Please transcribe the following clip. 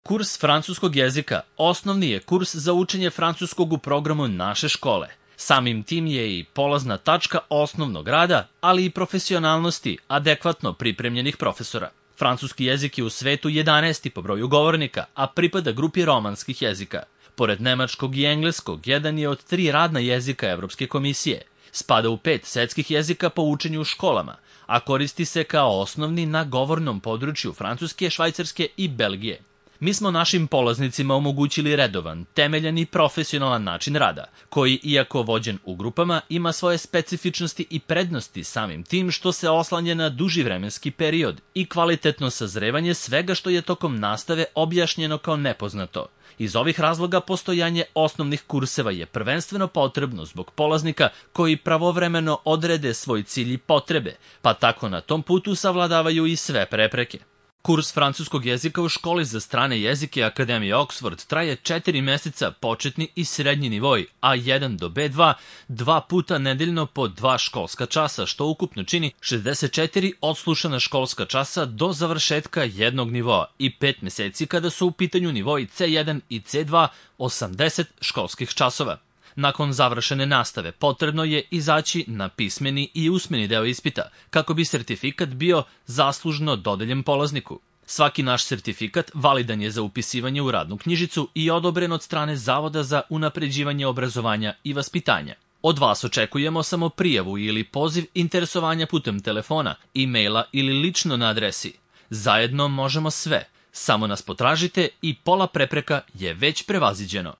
Kurs francuskog jezika osnovni je kurs za učenje francuskog u programu naše škole. Samim tim je i polazna tačka osnovnog rada, ali i profesionalnosti adekvatno pripremljenih profesora. Francuski jezik je u svetu 11. po broju govornika, a pripada grupi romanskih jezika. Pored nemačkog i engleskog, jedan je od 3 radna jezika Evropske komisije. Spada u 5 svetskih jezika po učenju u školama, a koristi se kao osnovni na govornom području Francuske, Švajcarske i Belgije. Mi smo našim polaznicima omogućili redovan, temeljan i profesionalan način rada, koji, iako vođen u grupama, ima svoje specifičnosti i prednosti samim tim što se oslanja na duži vremenski period i kvalitetno sazrevanje svega što je tokom nastave objašnjeno kao nepoznato. Iz ovih razloga postojanje osnovnih kurseva je prvenstveno potrebno zbog polaznika koji pravovremeno odrede svoj cilj i potrebe, pa tako na tom putu savladavaju i sve prepreke. Kurs francuskog jezika u školi za strane jezike Akademije Oxford traje 4 meseca početni i srednji nivoj A1 do B2, 2 puta nedeljno po 2 školska časa, što ukupno čini 64 odslušana školska časa do završetka jednog nivoa i 5 meseci kada su u pitanju nivoi C1 i C2, 80 školskih časova. Nakon završene nastave potrebno je izaći na pismeni i usmeni deo ispita, kako bi sertifikat bio zaslužno dodeljen polazniku. Svaki naš sertifikat validan je za upisivanje u radnu knjižicu i odobren od strane Zavoda za unapređivanje obrazovanja i vaspitanja. Od vas očekujemo samo prijavu ili poziv interesovanja putem telefona, e-maila ili lično na adresi. Zajedno možemo sve. Samo nas potražite i pola prepreka je već prevaziđeno.